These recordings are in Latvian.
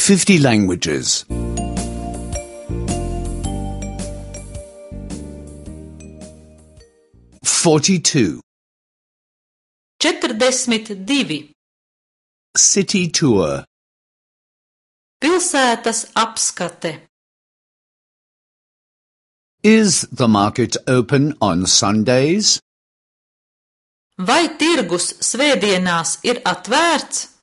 50 languages. 42. 42. City tour. Pilsētas apskate. Is the market open on Sundays? Vai tirgus svētdienās ir atvērts?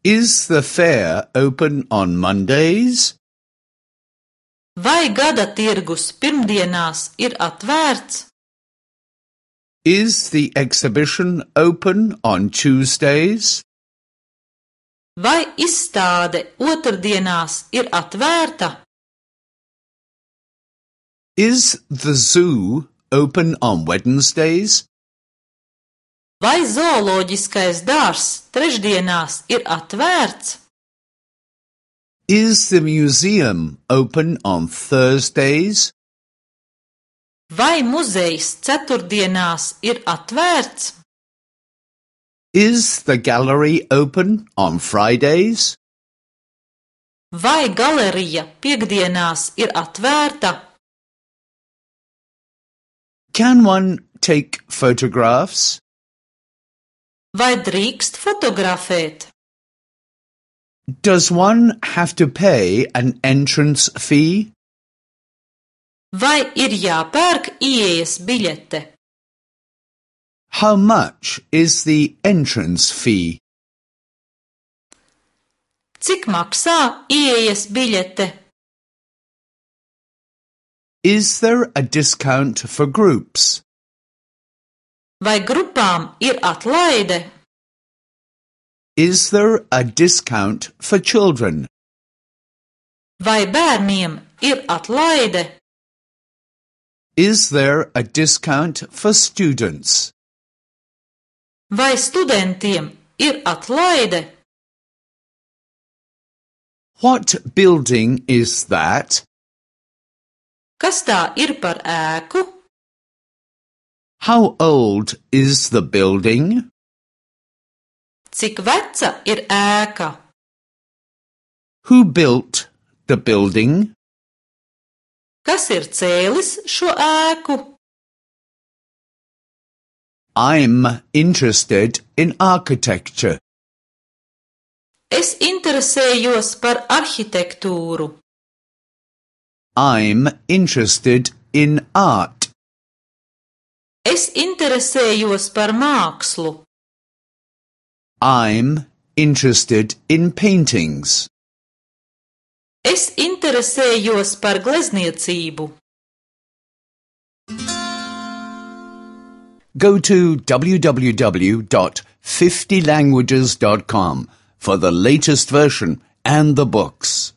Is the fair open on Mondays? Vai gada tirgus pirmdienās ir atvērts? Is the exhibition open on Tuesdays? Vai izstāde otrdienās ir atvērta? Is the zoo open on Wednesdays? Vai zooloģiskais dārzs trešdienās ir atvērts? Is the museum open on Thursdays? Vai muzejs ceturtdienās ir atvērts? Is the gallery open on Fridays? Vai galerija piektdienās ir atvērta? Can one take photographs? Vai drīkst fotografēt? Does one have to pay an entrance fee? Vai ir jāpērk ieejas biļete? How much is the entrance fee? Cik maksā ieejas biļete? Is there a discount for groups? Vai grupām ir atlaide? Is there a discount for children? Vai bērniem ir atlaide? Is there a discount for students? Vai studentiem ir atlaide? What building is that? Kas tā ir par ēku? How old is the building? Cik veca ir ēka? Who built the building? Kas ir cēlis šo ēku? I'm interested in architecture. Es interesējos par arhitektūru. I'm interested in art. Es interesējos par mākslu. I'm interested in paintings. Es interesējos par glezniecību. Go to www.50languages.com for the latest version and the books.